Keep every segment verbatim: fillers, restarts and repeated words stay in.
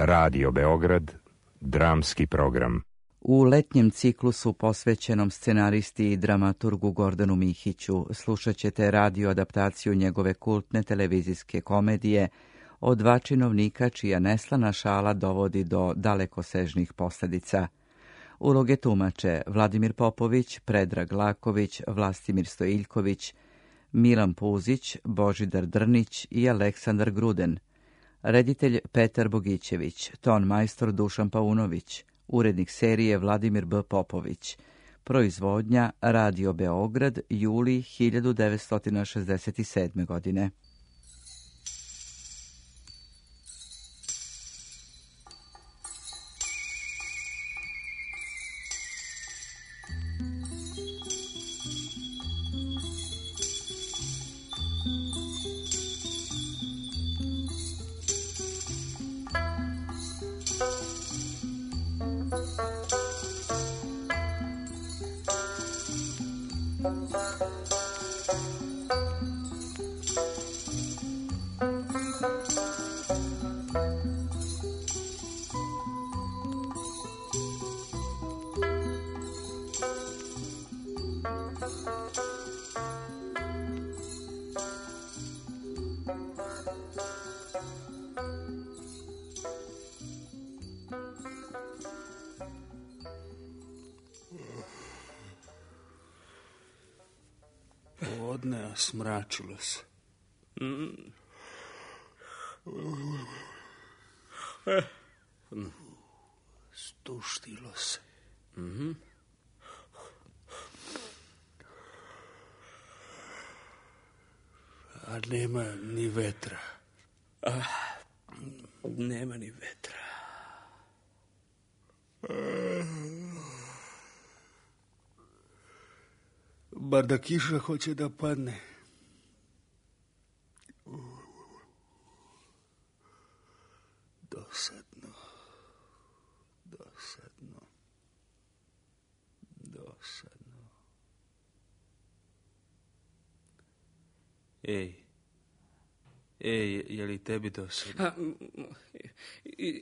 Radio Beograd, dramski program. U letnjem ciklusu posvećenom scenaristi i dramaturgu Gordanu Mihiću slušat ćete radio adaptaciju njegove kultne televizijske komedije o dva činovnika čija neslana šala dovodi do dalekosežnih posljedica. Uloge tumače Vladimir Popović, Predrag Laković, Vlastimir Stojiljković, Milan Puzić, Božidar Drnić i Aleksandar Gruden. Reditelj Petar Bogićević, ton majstor Dušan Paunović, urednik serije Vladimir B. Popović. Proizvodnja Radio Beograd, juli hiljadu devetsto šezdeset sedme. godine. Podne, a smračilo se. Mm. Stuštilo se. Mm-hmm. A nema ni vetra. Ah, nema ni vetra. Bar da kiša hoće da padne. Dosadno. Dosadno. Dosadno. Ej. Ej, je li tebi dosadno? A,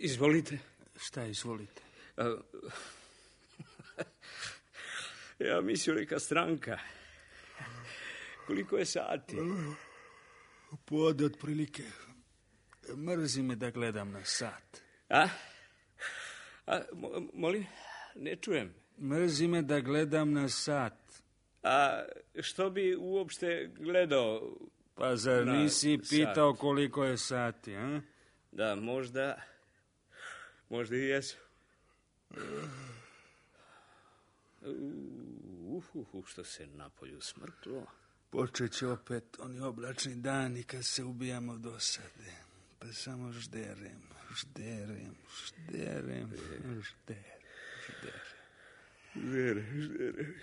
izvolite. Šta izvolite? A, ja mislim neka stranka. Koliko je sati? Pod otprilike. Mrzi me da gledam na sat. A? A molim? Ne čujem. Mrzi me da gledam na sat. A što bi uopšte gledao? Pa zar nisi pitao sat? Koliko je sati, a? Da, možda... Možda i jesu. Uhuhu, što se napolju smrklo. Počet će opet oni oblačni dani kad se ubijamo dosade. Pa samo žderem, žderem, žderem, žderem, žderem. Žderem, žderem.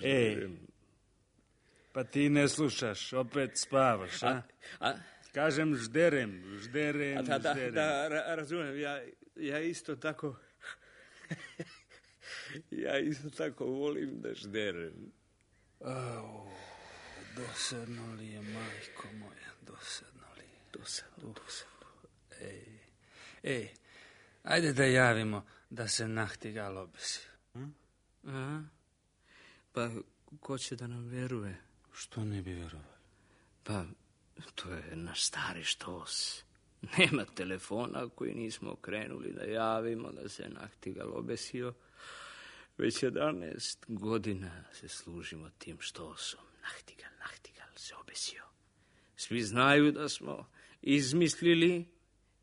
Ej, pa ti ne slušaš, opet spavaš, a? A? Kažem žderem, žderem, a da, da, žderem. Da, da, razumijem, ja, ja isto tako... Ja isto tako volim da žderem. Au, dosadno li je, majko moja, dosadno li je? Dosadno, dosadno. Ej, ej, ajde da javimo da se nahtigal obesi. Hm? Aha. Pa, ko će da nam veruje? Što ne bi verovali? Pa, to je naš stari štos. Nema telefona koji nismo krenuli da javimo da se nahtigal obesio. Već jedanaest godina se služimo tim štosom. Nahtigal, nahtigal se obesio. Svi znaju da smo izmislili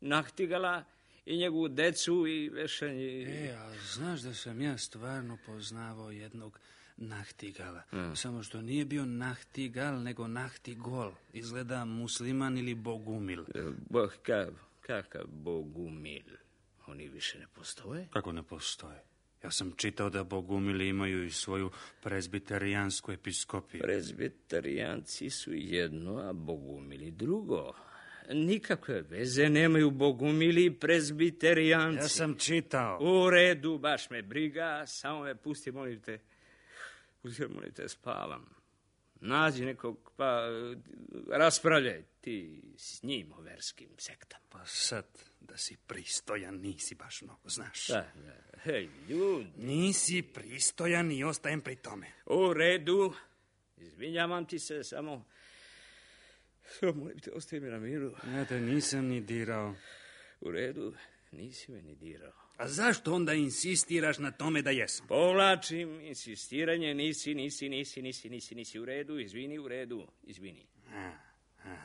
nahtigala i njegovu decu i vešanje. E, a znaš da sam ja stvarno poznavao jednog nahtigala. Hmm. Samo što nije bio nahtigal, nego nahtigol. Izgleda musliman ili bogumil. Bo, ka, kakav bogumil? Oni više ne postoje? Kako ne postoje? Ja sam čitao da bogumili imaju i svoju prezbiterijansku episkopiju. Prezbiterijanci su jedno, a bogumili drugo. Nikakve veze nemaju bogumili i prezbiterijanci. Ja sam čitao. U redu, baš me briga, samo me pusti, molim te, pusti, molim te, spavam. Nađi nekog, pa raspravljaj ti s njim o verskim sektama. Pa sad, da si pristojan, nisi baš mnogo, znaš. Da, da. Hej, ljudi. Nisi pristojan i ostajem pri tome. U redu. Izvinjavam ti se, samo... Molim te, ostaje mi na miru. Ja te nisam ni dirao. U redu, nisi me ni dirao. A zašto onda insistiraš na tome da jesam? Povlačim insistiranje, nisi, nisi, nisi, nisi, nisi, nisi u redu, izvini, u redu, izvini. A, a.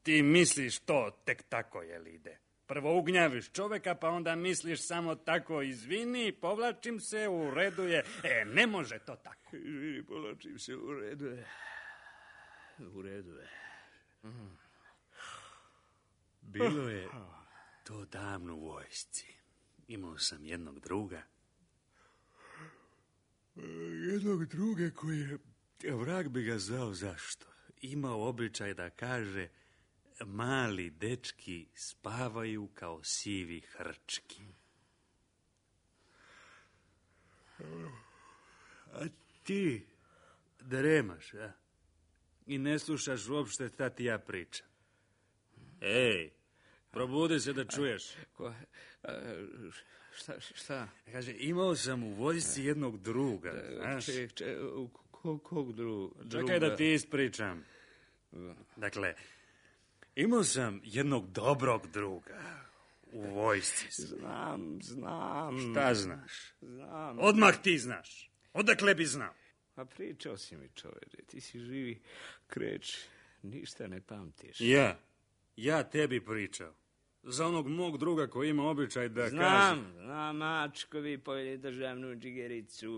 Ti misliš to tek tako, jel ide? Prvo ugnjaviš čoveka, pa onda misliš samo tako, izvini, povlačim se, u redu je. E, ne može to tako. Izvini, povlačim se, u redu je. U redu je. Mm. Bilo je to davno u vojsci. Imao sam jednog druga. Jednog druga koji je, vrag bi ga zvao zašto, imao običaj da kaže: mali dečki spavaju kao sivi hrčki. A ti dremaš, a? I ne slušaš uopšte šta ti ja pričam. Ej, probudi se da čuješ. Ko, a, šta, šta? Kaže, imao sam u vojsci jednog druga, znaš. Ček, ček, kog, kog dru, druga? Čekaj da ti ispričam. Dakle, imao sam jednog dobrog druga u vojsci. Znam, znam. Šta znaš? Znam. Odmah ti znaš. Odakle bi znao? Pa pričao si mi, čoveče, ti si živi kreč, ništa ne pamtiš. Ja, ja tebi pričao. Za onog mog druga koji ima običaj da znam, kaže... Znam, znam, mačkovi pojeli državnu džigericu,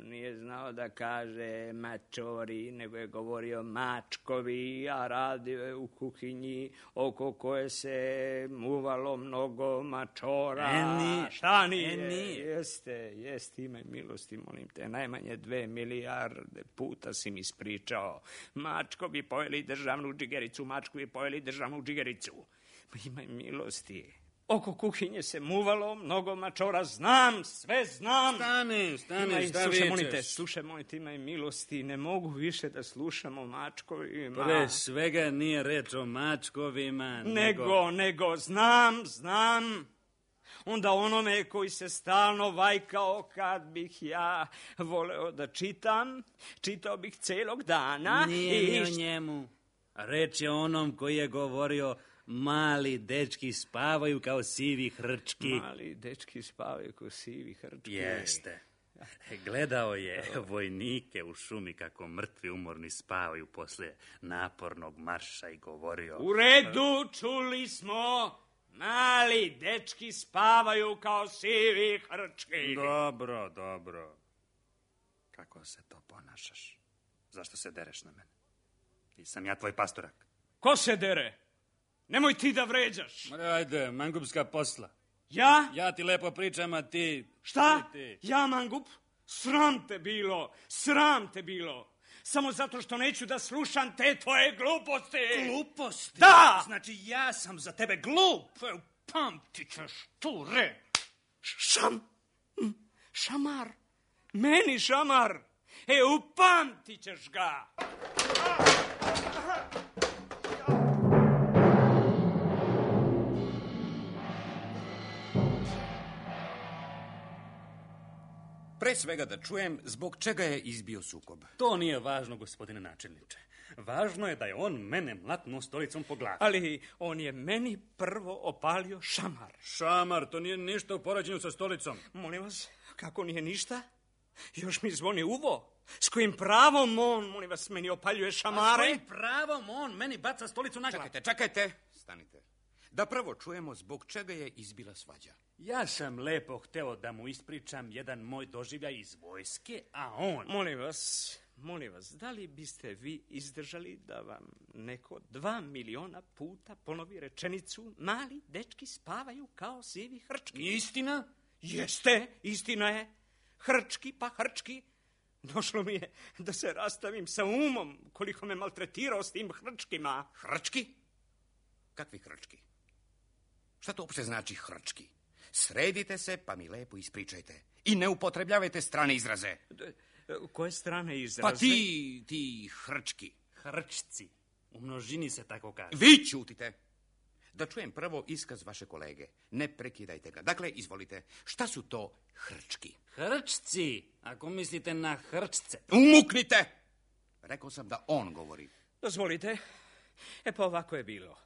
nije znao da kaže mačori, nego je govorio mačkovi, a radio je u kuhinji oko koje se muvalo mnogo mačora. E, nije. Šta nije? E, nije. Jeste, jeste, imaj milosti, molim te, najmanje dve milijarde puta si mi ispričao. Mačkovi pojeli državnu džigericu, mačkovi pojeli državnu džigericu. Imaj milosti. Oko kuhinje se muvalo, mnogo mačora, znam, sve znam. Stani, stani, imaj, šta slušaj, vičeš? molim te, slušaj, molim te, imaj milosti, ne mogu više da slušamo mačkovima. Pre svega nije reč o mačkovima, nego... Nego, nego, znam, znam. Onda onome koji se stalno vajkao, kad bih ja voleo da čitam, čitao bih celog dana. Nije i... ni o njemu. Reč je onom koji je govorio... Mali dečki spavaju kao sivi hrčki. Mali dečki spavaju kao sivi hrčki. Jeste. Gledao je vojnike u šumi kako mrtvi umorni spavaju poslije napornog marša i govorio... U redu, čuli smo. Mali dečki spavaju kao sivi hrčki. Dobro, dobro. Kako se to ponašaš? Zašto se dereš na mene? Nisam ja tvoj pastorak. Ko se dere? Nemoj ti da vređaš. Ma ajde, mangupska posla. Ja? Ja ti lepo pričam, a ti... Šta? Ti, ti. Ja, mangup? Sram te bilo, sram te bilo. Samo zato što neću da slušam te tvoje gluposti. Gluposti? Da! Znači ja sam za tebe glup. Pamtit ćeš tu reč. Šam... Šamar. Meni šamar. E, upamtit ćeš ga. Pre svega da čujem zbog čega je izbio sukob. To nije važno, gospodine načelniče. Važno je da je on mene mlatnuo stolicom po glavi. Ali on je meni prvo opalio šamar. Šamar, to nije ništa u poređenju sa stolicom. Molim vas, kako nije ništa? Još mi zvoni uvo. S kojim pravom on, molim vas, meni opaljuje šamare? A s kojim pravom on meni baca stolicu na glavu? Čekajte, čekajte, stanite. Da prvo čujemo zbog čega je izbila svađa. Ja sam lepo hteo da mu ispričam jedan moj doživljaj iz vojske, a on... Molim vas, molim vas, da li biste vi izdržali da vam neko dva miliona puta ponovi rečenicu mali dečki spavaju kao sivi hrčki? Istina? Jeste, istina je. Hrčki pa hrčki. Došlo mi je da se rastavim sa umom koliko me maltretirao s tim hrčkima. Hrčki? Kakvi hrčki? Šta to uopšte znači hrčki? Sredite se pa mi lepo ispričajte. I ne upotrebljavajte strane izraze. Koje strane izraze? Pa ti, ti hrčki. Hrčci. U množini se tako kaže. Vi ćutite. Da čujem prvo iskaz vaše kolege. Ne prekidajte ga. Dakle, izvolite. Šta su to hrčki? Hrčci, ako mislite na hrčce. Umuknite! Rekao sam da on govori. Dozvolite. E pa ovako je bilo.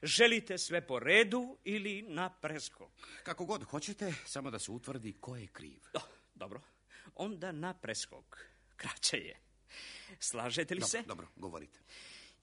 Želite sve po redu ili na preskok? Kako god hoćete, samo da se utvrdi ko je kriv. Do, dobro. Onda na preskok. Kraće je. Slažete li Dobro, se? dobro, govorite.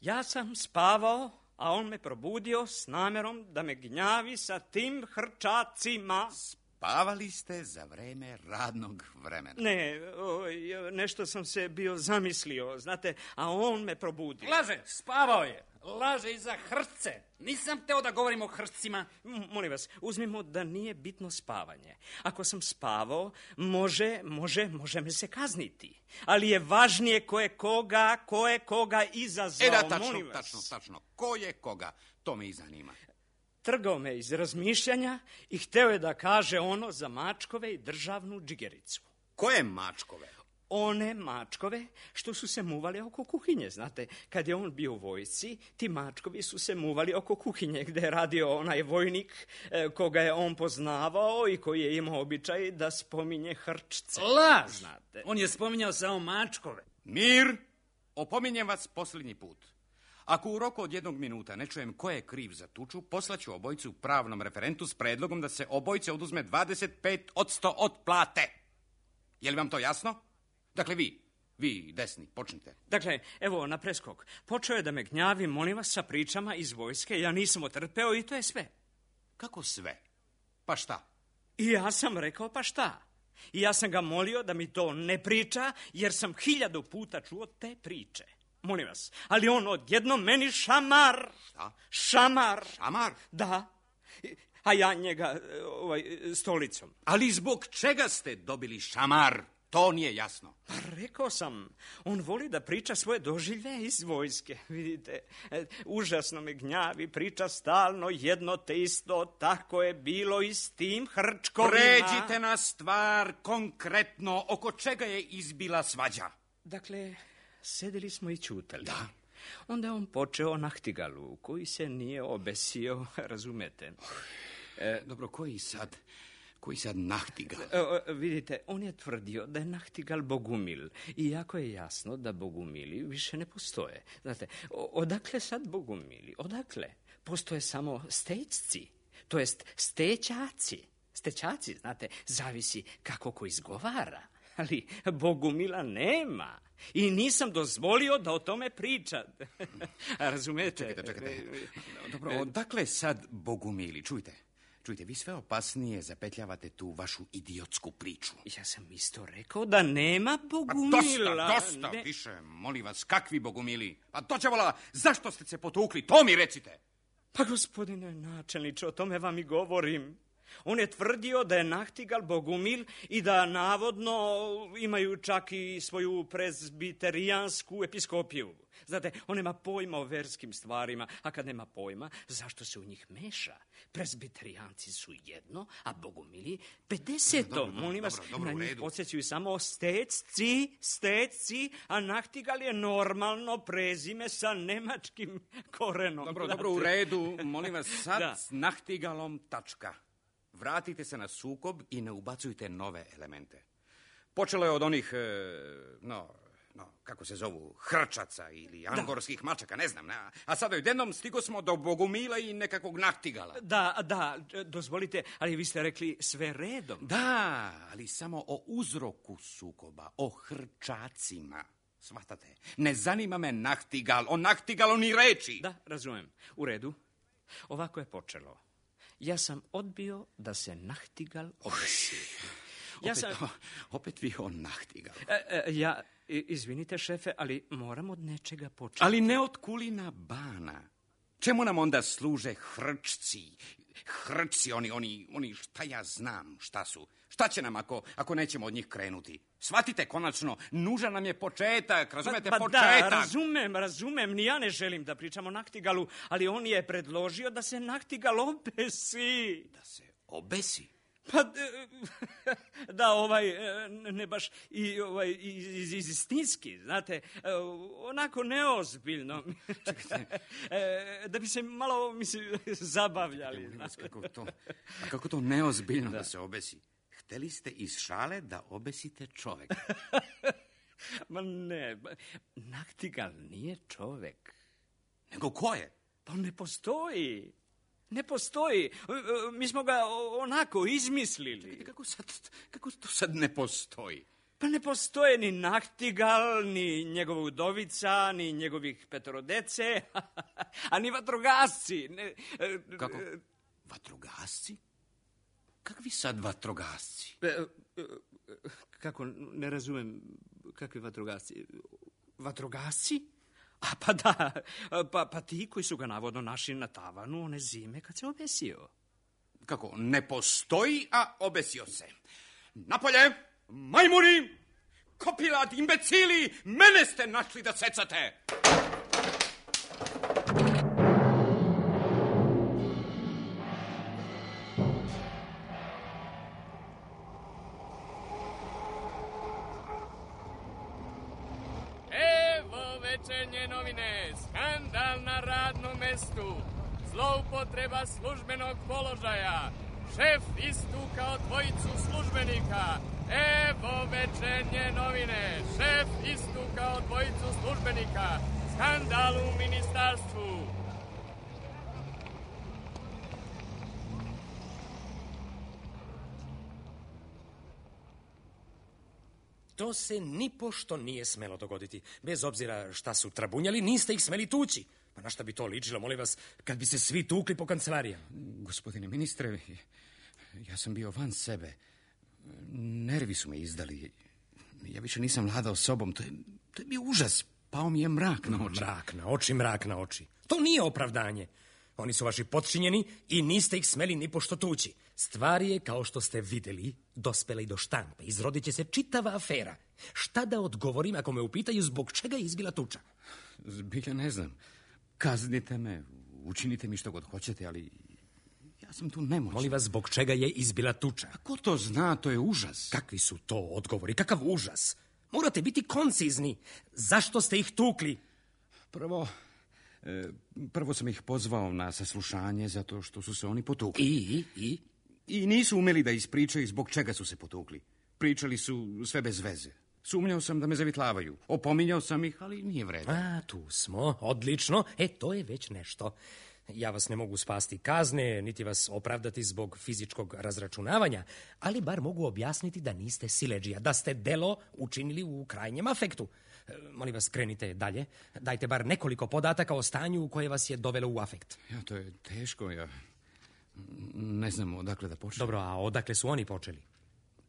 Ja sam spavao, a on me probudio s namjerom da me gnjavi sa tim hrčacima. Spavali ste za vreme radnog vremena. Ne, oj, nešto sam se bio zamislio, znate, a on me probudio. Laže, spavao je. Laže i za hrčce. Nisam teo da govorim o hrčcima. M- molim vas, uzmimo da nije bitno spavanje. Ako sam spavao, može, može, može me se kazniti. Ali je važnije ko je koga, ko je koga izazvao. E da, tačno, molim vas. tačno, tačno. Ko je koga? To me i zanima. Trgao me iz razmišljanja i hteo je da kaže ono za mačkove i državnu džigericu. Koje mačkove? One mačkove što su se muvali oko kuhinje, znate. Kad je on bio u vojsci, ti mačkovi su se muvali oko kuhinje gde je radio onaj vojnik e, koga je on poznavao i koji je imao običaj da spominje hrčce. Laž! Znate. On je spominjao samo mačkove. Mir, opominjem vas posljednji put. Ako u roku od jednog minuta ne čujem ko je kriv za tuču, poslaću obojicu pravnom referentu s predlogom da se obojice oduzme dvadeset pet posto od plate. Je li vam to jasno? Dakle, vi, vi desni, počnite. Dakle, evo, na preskok. Počeo je da me gnjavi, molim vas, sa pričama iz vojske. Ja nisam otrpeo i to je sve. Kako sve? Pa šta? I ja sam rekao, pa šta? I ja sam ga molio da mi to ne priča, jer sam hiljadu puta čuo te priče. Molim vas, ali on odjednom meni šamar. Šta? Šamar. Šamar? Da. A ja njega ovaj, stolicom. Ali zbog čega ste dobili šamar? To nije jasno. Pa rekao sam, on voli da priča svoje doživlje iz vojske. Vidite, e, užasno me gnjavi, priča stalno jedno te isto, tako je bilo i s tim hrčkovima. Pređite na stvar konkretno, oko čega je izbila svađa. Dakle, sedeli smo i ćutali. Da. Onda je on počeo Nahtigalu, koji se nije obesio, razumete. E, dobro, koji sad... Koji sad Nahtigal? E, e, vidite, on je tvrdio da je Nahtigal Bogumil. Iako je jasno da Bogumili više ne postoje. Znate, o, odakle sad Bogumili? Odakle? Postoje samo stečci, to jest stećaci. Stećaci, znate, zavisi kako ko izgovara. Ali Bogumila nema. I nisam dozvolio da o tome pričate. Razumete? Čekajte, čekajte. Dobro, odakle sad Bogumili? Čujte. Čujte, vi sve opasnije zapetljavate tu vašu idiotsku priču. Ja sam isto rekao da nema Bogumila. Pa dosta, dosta, ne... više, molim vas, kakvi Bogumili? Pa to će vola, zašto ste se potukli? To mi recite. Pa gospodine načelniče, o tome vam i govorim. On je tvrdio da je Nahtigal Bogumil i da navodno imaju čak i svoju prezbiterijansku episkopiju. Znate, on nema pojma o verskim stvarima, a kad nema pojma, zašto se u njih meša? Prezbiterijanci su jedno, a Bogumili pedeseto. Dobro, dobro, molim vas, dobro, dobro, na u njih redu. podsjećaju samo stecci, stecci, a Nahtigal je normalno prezime sa nemačkim korenom. Dobro, znate. dobro, u redu, molim vas, sad Da. s Nahtigalom tačka. Vratite se na sukob i ne ubacujte nove elemente. Počelo je od onih, e, no, no, kako se zovu, hrčaca ili angorskih mačaka, ne znam. A, a sada odjednom stigo smo do Bogumila i nekakvog Nahtigala. Da, da, dozvolite, ali vi ste rekli sve redom. Da, ali samo o uzroku sukoba, o hrčacima. Shvatate? Ne zanima me Nahtigal, o Nahtigalu ni reči. Da, razumem. U redu. Ovako je počelo. Ja sam odbio da se Nahtigal obesi. Ja Opet, sam... opet vi o Nahtigalu. E, e, ja, i- izvinite šefe, ali moram od nečega početi. Ali ne od kulina bana. Čemu nam onda služe hrčci? Hrčci, oni, oni, oni, šta ja znam, šta su? Šta će nam ako, ako nećemo od njih krenuti? Shvatite konačno, nužan nam je početak, razumete, Pa, pa početak. da, razumem, razumem, ni ja ne želim da pričam o Nahtigalu, ali on je predložio da se Nahtigal obesi. Da se obesi. Pa, da, ovaj, ne baš i ovaj, iz, iz, istinski, znate, onako neozbiljno. Čekajte. Da bi se malo, mislim, zabavljali. Kako to, a kako to neozbiljno da. da se obesi? Hteli ste iz šale da obesite čoveka. Ma ne, naktigal nije čovek. Nego ko je? Pa ne postoji. Ne postoji. Mi smo ga onako izmislili. Čekajte, kako, sad, kako to sad ne postoji? Pa ne postoje ni naktigal, ni njegova udovica, ni njegovih petoro dece, a ni vatrogasci. Ne, kako? Vatrogasci? Kakvi sad vatrogasci? Kako, ne razumem, kakvi vatrogasci? Vatrogasci? A pa da, pa, pa ti koji su ga navodno našli na tavanu one zime kad se obesio. Kako, ne postoji, a obesio se. Napolje, majmuni, kopilat, imbecili, mene ste našli da secate. Večernje novine, skandal na radnom mestu, zloupotreba službenog položaja, šef istukao dvojicu službenika. Evo večernje novine, šef istukao dvojicu službenika, skandal u ministarstvu. To se nipošto nije smelo dogoditi. Bez obzira šta su trabunjali, niste ih smeli tući. Pa na šta bi to ličilo, molim vas, kad bi se svi tukli po kancelarijama? Gospodine ministre, ja sam bio van sebe. Nervi su me izdali. Ja više nisam vladao sobom. To je, to je bio užas. Pao mi je mrak na oči. Mrak na oči, mrak na oči. To nije opravdanje. Oni su vaši potčinjeni i niste ih smeli nipošto tući. Stvar je, kao što ste videli, dospela i do štampe. Izrodit će se čitava afera. Šta da odgovorim ako me upitaju zbog čega je izbila tuča? Zbilja ne znam. Kaznite me, učinite mi što god hoćete, ali ja sam tu nemoćan. Molim vas, zbog čega je izbila tuča? A ko to zna, to je užas. Kakvi su to odgovori? Kakav užas? Morate biti koncizni. Zašto ste ih tukli? Prvo... Prvo sam ih pozvao na saslušanje zato što su se oni potukli. I? I? I nisu umeli da ispričaju zbog čega su se potukli. Pričali su sve bez veze. Sumnjao sam da me zavitlavaju. Opominjao sam ih, ali nije vredno. A, tu smo. Odlično. E, to je već nešto. Ja vas ne mogu spasti kazne, niti vas opravdati zbog fizičkog razračunavanja, ali bar mogu objasniti da niste siledžija, da ste delo učinili u krajnjem afektu. E, molim vas, krenite dalje. Dajte bar nekoliko podataka o stanju koje vas je dovelo u afekt. Ja, to je teško, ja ne znam odakle da počnem. Dobro, a odakle su oni počeli?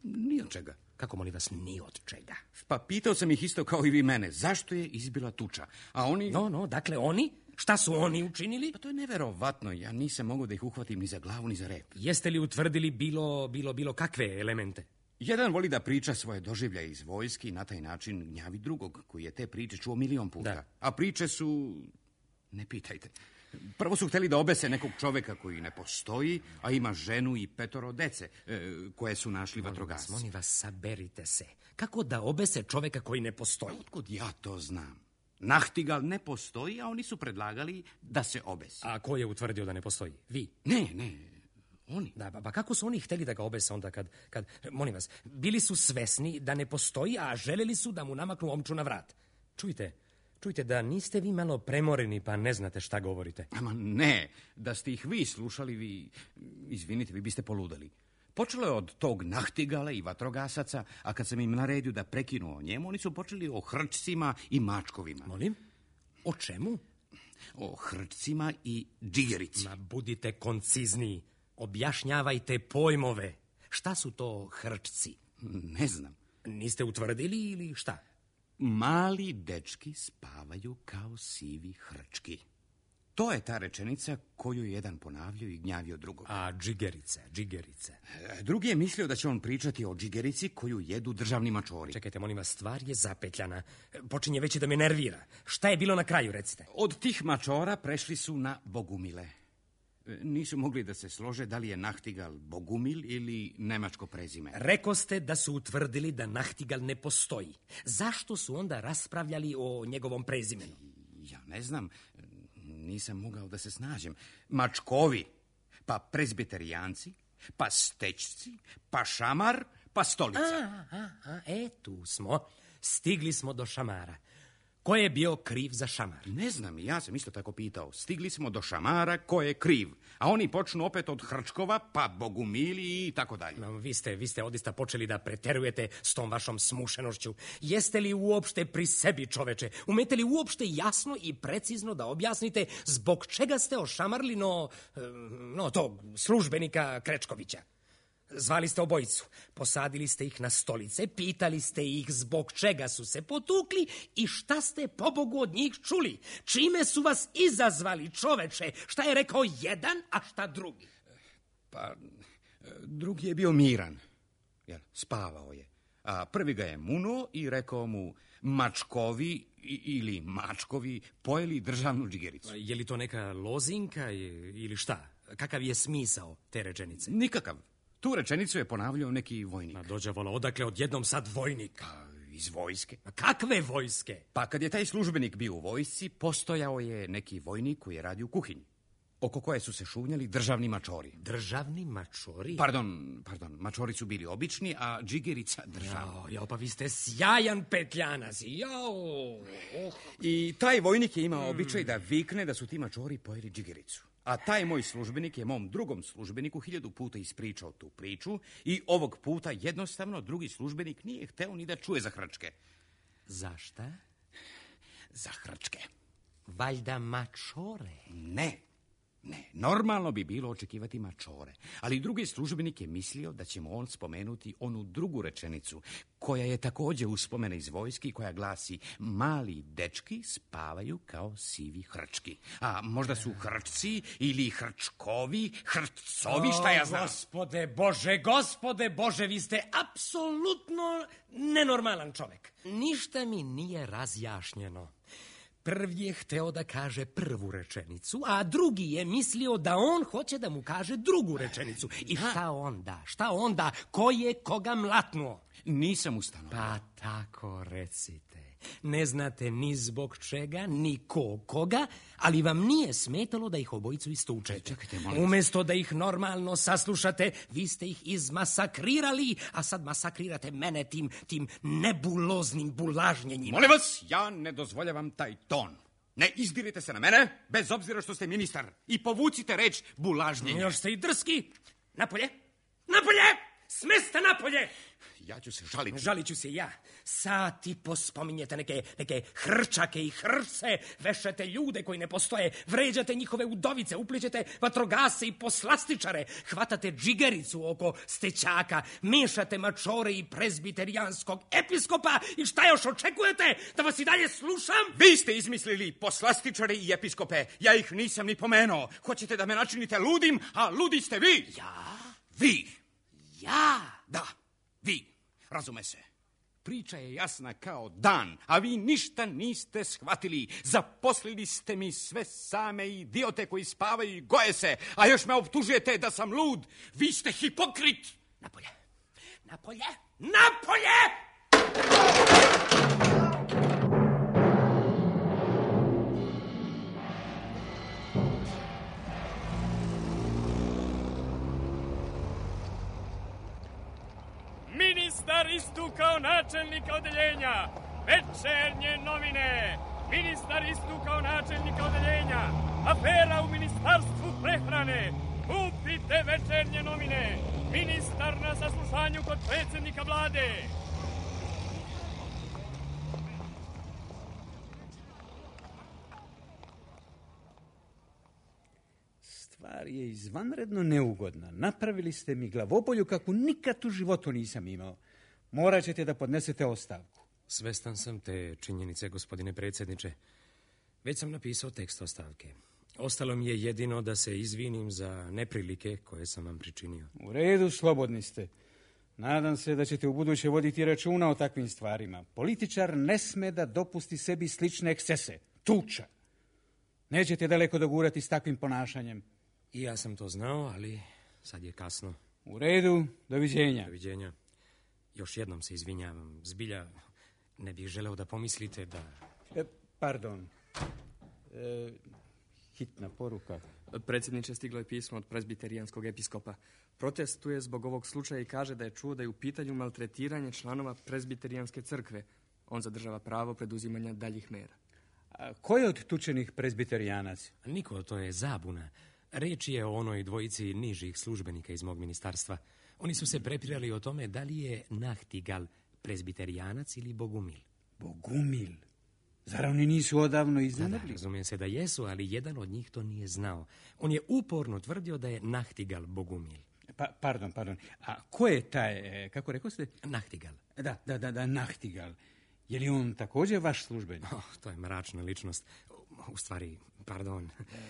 Ni od čega. Kako, molim vas, ni od čega? Pa pitao sam ih isto kao i vi mene. Zašto je izbila tuča? A oni... No, no, dakle oni... Šta su oni učinili? Pa to je neverovatno. Ja nisam mogao da ih uhvatim ni za glavu, ni za rep. Jeste li utvrdili bilo, bilo, bilo kakve elemente? Jedan voli da priča svoje doživljaje iz vojski i na taj način gnjavi drugog, koji je te priče čuo milion puta. Da. A priče su... Ne pitajte. Prvo su hteli da obese nekog čoveka koji ne postoji, a ima ženu i petoro dece, e, koje su našli vatrogasci. Molim vas, saberite se. Kako da obese čoveka koji ne postoji? Otkud ja to znam? Nachtigal ne postoji, a oni su predlagali da se obesi. A ko je utvrdio da ne postoji? Vi? Ne, ne, oni. Da, pa kako su oni hteli da ga obese onda kad, kad... Molim vas, bili su svesni da ne postoji, a želeli su da mu namaknu omču na vrat. Čujte, čujte da niste vi malo premoreni pa ne znate šta govorite. Ama ne, da ste ih vi slušali, vi... Izvinite, vi biste poludali. Počelo je od tog Nachtigala i vatrogasaca, a kad sam im naredio da prekinu o njemu, oni su počeli o hrčcima i mačkovima. Molim? O čemu? O hrčcima i džigerici. Ma budite koncizniji. Objašnjavajte pojmove. Šta su to hrčci? Ne znam. Niste utvrdili ili šta? Mali dečki spavaju kao sivi hrčki. To je ta rečenica koju je jedan ponavljao i gnjavio drugog. A džigerice, džigerice. Drugi je mislio da će on pričati o džigerici koju jedu državni mačori. Čekajte, molim vas, stvar je zapetljana. Počinje već i da me nervira. Šta je bilo na kraju, recite? Od tih mačora prešli su na bogumile. Nisu mogli da se slože da li je Nachtigal Bogumil ili nemačko prezime. Rekoste da su utvrdili da Nachtigal ne postoji. Zašto su onda raspravljali o njegovom prezimenu? Ja ne znam, nisam mogao da se snađem. Mačkovi, pa prezbiterijanci, pa stečci, pa šamar, pa stolica. A, a, a, e, tu smo. Stigli smo do šamara. Ko je bio kriv za šamar? Ne znam, ja sam isto tako pitao. Stigli smo do šamara, ko je kriv? A oni počnu opet od Hrčkova, pa Bogumili i tako dalje. No, vi ste, vi ste odista počeli da preterujete s tom vašom smušenošću. Jeste li uopšte pri sebi, čoveče? Umete li uopšte jasno i precizno da objasnite zbog čega ste ošamarili no, no tog službenika Krečkovića? Zvali ste obojicu, posadili ste ih na stolice, pitali ste ih zbog čega su se potukli i šta ste pobogu od njih čuli. Čime su vas izazvali, čoveče? Šta je rekao jedan, a šta drugi? Pa, drugi je bio miran. Jel, spavao je. A prvi ga je munuo i rekao mu mačkovi ili mačkovi pojeli državnu džigericu. Je li to neka lozinka ili šta? Kakav je smisao te rečenice? Nikakav. Tu rečenicu je ponavljao neki vojnik. Ma dođe vola, odakle odjednom sad vojnik? Pa, iz vojske. A kakve vojske? Pa kad je taj službenik bio u vojsci, postojao je neki vojnik koji je radio u kuhinji, oko koje su se šunjali državni mačori. Državni mačori? Pardon, pardon, mačori su bili obični, a džigerica državna. Jao, jao, pa vi ste sjajan petljanac. Jao. Oh. I taj vojnik je imao običaj da vikne da su ti mačori pojeli džigericu. A taj moj službenik je mom drugom službeniku hiljadu puta ispričao tu priču i ovog puta jednostavno drugi službenik nije hteo ni da čuje za Hrčke. Za šta? Za Hrčke. Valjda mačore? Ne, ne. Normalno bi bilo očekivati mačore. Ali drugi službenik je mislio da ćemo on spomenuti onu drugu rečenicu, koja je također uspomena iz vojski, koja glasi: mali dečki spavaju kao sivi hrčki. A možda su Hrčci ili Hrčkovi, Hrčcovi, šta ja znam. O, gospode Bože, gospode Bože, vi ste apsolutno nenormalan čovek. Ništa mi nije razjašnjeno. Prvi je hteo da kaže prvu rečenicu, a drugi je mislio da on hoće da mu kaže drugu rečenicu. I šta onda? Šta onda? Ko je koga mlatnuo? Nisam ustanovio. Pa tako recite. Ne znate ni zbog čega, ni ko koga, ali vam nije smetalo da ih obojicu istučete. Čekajte, molim. Umesto da ih normalno saslušate, vi ste ih izmasakrirali, a sad masakrirate mene tim, tim nebuloznim bulažnjenjima. Molim vas, ja ne dozvoljavam taj ton. Ne izdirite se na mene, bez obzira što ste ministar. I povucite reč bulažnjenje. Još ste i drski. Napolje, napolje, smesta napolje. Ja ću se žaliti. Žalit ću se ja. Sati pospominjete neke, neke hrčake i hrce, vešate ljude koji ne postoje, vređate njihove udovice, uplićete vatrogase i poslastičare, hvatate džigericu oko stećaka, mešate mačore i prezbiterijanskog episkopa i šta još očekujete? Da vas i dalje slušam? Vi ste izmislili poslastičare i episkope. Ja ih nisam ni pomenuo. Hoćete da me načinite ludim, a ludi ste vi. Ja? Vi. Ja? Da, vi. Razume se. Priča je jasna kao dan, a vi ništa niste shvatili. Zaposlili ste mi sve same idiote koji spavaju i goje se, a još me optužujete da sam lud. Vi ste hipokrit. Napolje, napolje, napolje! Ministar istukao načelnika odeljenja. Večernje novine. Ministar istukao načelnika odeljenja. Afera u ministarstvu prehrane. Kupite večernje novine. Ministar na saslušanju kod predsjednika vlade. Stvar je izvanredno neugodna. Napravili ste mi glavobolju kako nikad u životu nisam imao. Morat ćete da podnesete ostavku. Svestan sam te činjenice, gospodine predsjedniče. Već sam napisao tekst ostavke. Ostalo mi je jedino da se izvinim za neprilike koje sam vam pričinio. U redu, slobodni ste. Nadam se da ćete u buduće voditi računa o takvim stvarima. Političar ne sme da dopusti sebi slične ekscese. Tuča. Nećete daleko dogurati s takvim ponašanjem. I ja sam to znao, ali sad je kasno. U redu, doviđenja. Doviđenja. Još jednom se izvinjavam. Zbilja ne bih želeo da pomislite da... E, pardon. E, hitna poruka. Predsjedniče, stiglo je pismo od prezbiterijanskog episkopa. Protestuje zbog ovog slučaja i kaže da je čuo da je u pitanju maltretiranje članova prezbiterijanske crkve. On zadržava pravo preduzimanja daljih mera. A ko je od tučenih prezbiterijanac? Niko, to je zabuna. Reč je o onoj dvojici nižih službenika iz mog ministarstva. Oni su se prepirali o tome da li je Nachtigal prezbiterijanac ili Bogumil. Bogumil? Zar oni nisu odavno Da, iznenadili? da, razumijem se da jesu, ali jedan od njih to nije znao. On je uporno tvrdio da je Nachtigal Bogumil. Pa, pardon, pardon. A ko je taj, e, kako rekao ste? Nachtigal. Da, da, da, da, Nachtigal. Je li on također vaš službenik? Oh, to je mračna ličnost. U stvari, pardon.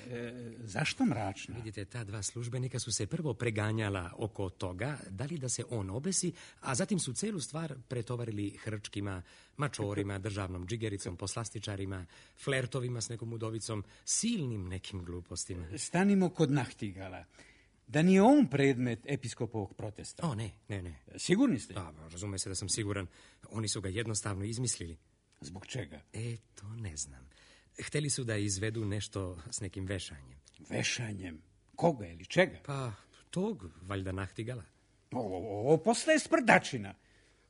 E, zašto mračna? Vidite, ta dva službenika su se prvo preganjala oko toga da li da se on obesi, a zatim su celu stvar pretovarili hrčkima, mačorima, državnom džigericom, poslastičarima, flertovima s nekom udovicom, silnim nekim glupostima. Stanimo kod Nachtigala. Da nije on predmet episkopovog protesta? O, ne, ne, ne. Sigurni ste? Da, razume se da sam siguran. Oni su ga jednostavno izmislili. Zbog čega? E, to ne znam. Hteli su da izvedu nešto s nekim vešanjem. Vešanjem? Koga ili čega? Pa, tog, valjda Nachtigala. Ovo, ovo postaje sprdačina.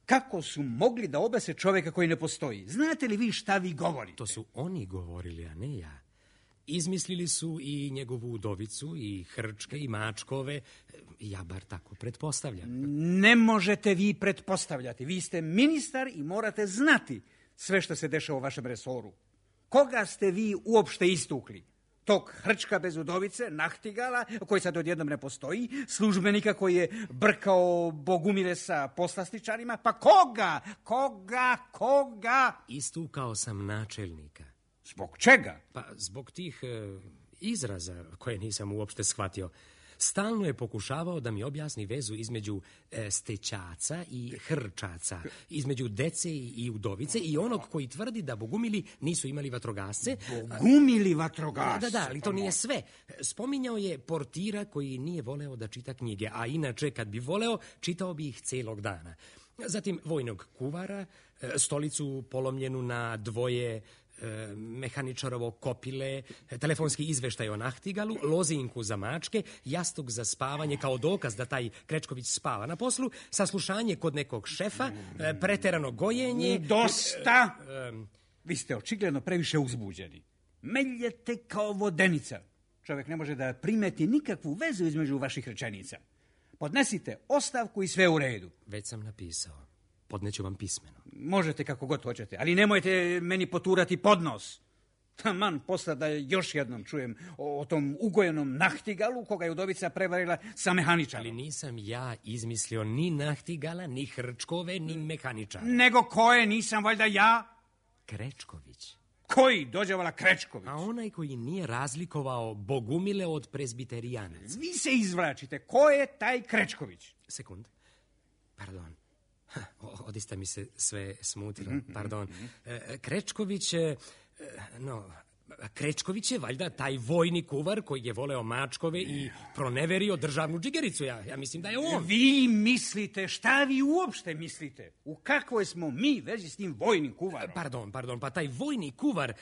Kako su mogli da obese čovjeka koji ne postoji? Znate li vi šta vi govorite? To su oni govorili, a ne ja. Izmislili su i njegovu udovicu, i hrčke, i mačkove. Ja bar tako pretpostavljam. Ne možete vi pretpostavljati. Vi ste ministar i morate znati sve što se dešava u vašem resoru. Koga ste vi uopšte istukli? Tog hrčka bez udovice, Nachtigala, koji sad odjednom ne postoji, službenika koji je brkao Bogumile sa poslastičarima, pa koga? Koga? Koga? Istukao sam načelnika. Zbog čega? Pa zbog tih e, izraza koje nisam uopšte shvatio. Stalno je pokušavao da mi objasni vezu između e, stećaca i hrčaca, između dece i, i udovice i onog koji tvrdi da Bogumili nisu imali vatrogasce. Bogumili vatrogasce? Da, da, ali to nije sve. Spominjao je portira koji nije voleo da čita knjige, a inače kad bi voleo, čitao bi ih celog dana. Zatim vojnog kuvara, stolicu polomljenu na dvoje, mehaničarovo kopile, telefonski izveštaj o Nachtigalu, lozinku za mačke, jastuk za spavanje kao dokaz da taj Krečković spava na poslu, saslušanje kod nekog šefa, preterano gojenje... Dosta! Vi ste očigledno previše uzbuđeni. Meljete kao vodenica. Čovjek ne može da primeti nikakvu vezu između vaših rečenica. Podnesite ostavku i sve u redu. Već sam napisao. Podneću vam pismeno. Možete kako god hoćete, ali nemojte meni poturati pod nos. Taman posla da još jednom čujem o, o tom ugojenom Nachtigalu koga je udovica prevarila sa mehaničarom. Ali nisam ja izmislio ni Nachtigala, ni hrčkove, ni mehaničara. Nego ko je, nisam valjda ja? Krečković. Koji? Dođevala Krečković. A onaj koji nije razlikovao Bogumile od prezbiterijanaca. Vi se izvlačite. Ko je taj Krečković? Sekund. Pardon. Odista mi se sve smutilo, pardon. Krečković, no, Krečković je valjda taj vojni kuvar koji je voleo mačkove i proneverio državnu džigericu. Ja, ja mislim da je on. Vi mislite, šta vi uopšte mislite? U kakvoj smo mi vezi s tim vojnim kuvarom? Pardon, pardon, pa taj vojni kuvar,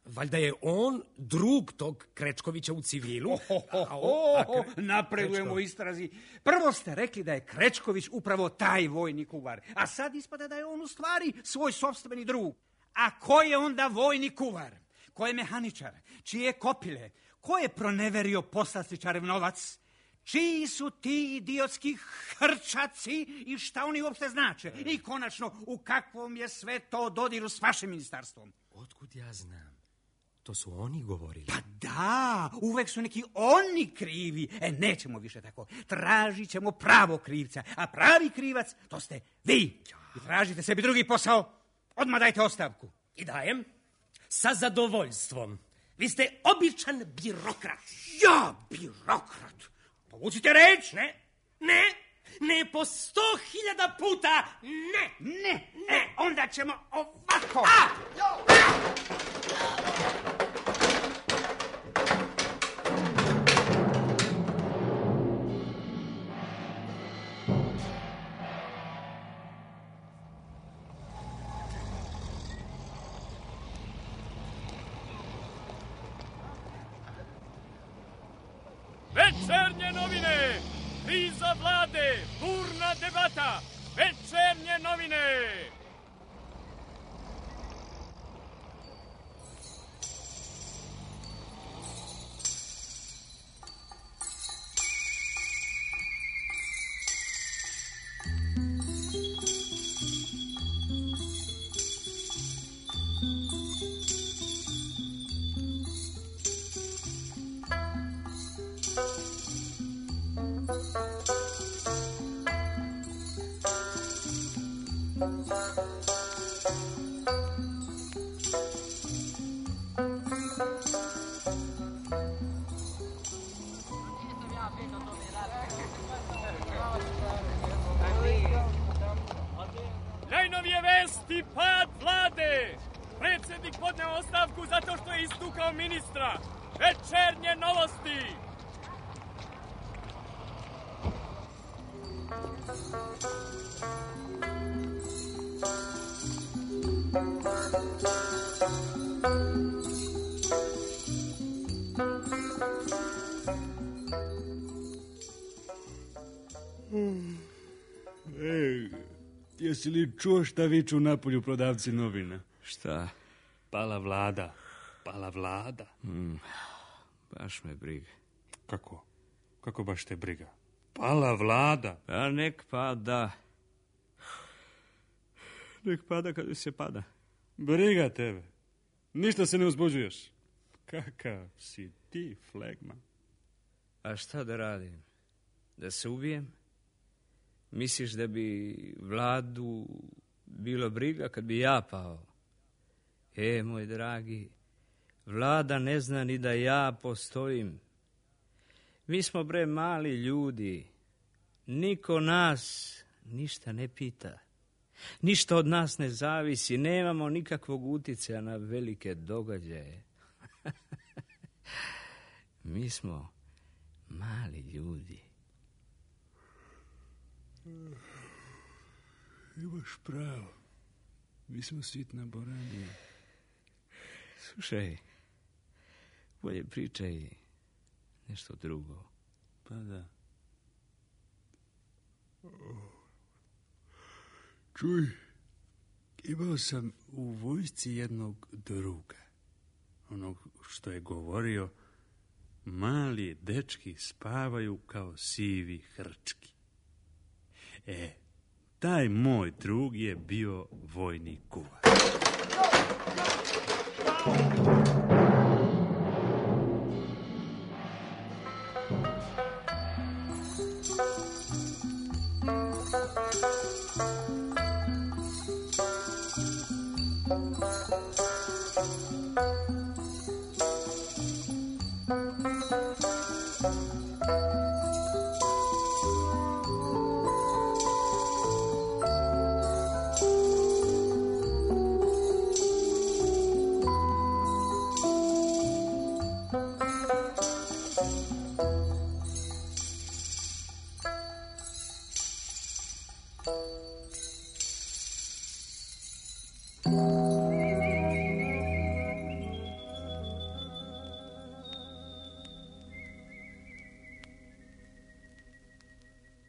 valjda je on drug tog Krečkovića u civilu. Oh, oh, oh, oh, oh, napredujemo u istrazi. Prvo ste rekli da je Krečković upravo taj vojni kuvar, a sad ispada da je on u stvari svoj sopstveni drug. A ko je onda vojni kuvar? Ko je mehaničar? Čije kopile? Ko je proneverio poslastičarev novac? Čiji su ti idiotski hrčaci i šta oni uopšte znače? I konačno, u kakvom je sve to dodiru s vašim ministarstvom? Otkud ja znam? To su oni govorili. Pa da, uvek su neki oni krivi. E, nećemo više tako. Tražit ćemo pravo krivca. A pravi krivac, to ste vi. I tražite sebi drugi posao. Odmah dajte ostavku. I dajem. Sa zadovoljstvom. Vi ste običan birokrat. Ja, birokrat? Povucite reč. Ne, ne, ne po sto hiljada puta. Ne, ne, ne. E, onda ćemo ovako. A! Večernje novine. Kriza vlade. Burna debata. Večernje novine. Najnovije vesti, pad vlade. Predsjednik podneo ostavku zato što je istukao ministra. Večernje novosti. Ej, jesi li čuo šta viču napolju prodavci novina? Šta? Pala vlada. Pala vlada. Mm, baš me briga. Kako? Kako baš te briga? Pala vlada. A nek pada. Nek pada kada se pada. Briga tebe. Ništa se ne uzbuđuješ. Kakav si ti, flegma. A šta da radim? Da se ubijem? Misliš da bi vladu bilo briga kad bi ja pao? E, moj dragi, vlada ne zna ni da ja postojim. Mi smo, bre, mali ljudi. Niko nas ništa ne pita. Ništa od nas ne zavisi. Nemamo nikakvog uticaja na velike događaje. Mi smo mali ljudi. Imaš pravo. Mi smo sitna boranija. Slušaj, bolje pričaj nešto drugo. Pa da. Čuj, imao sam u vojsci jednog druga. Onog što je govorio, mali dečki spavaju kao sivi hrčki. E, taj moj drug je bio vojni kuvar. Thank you.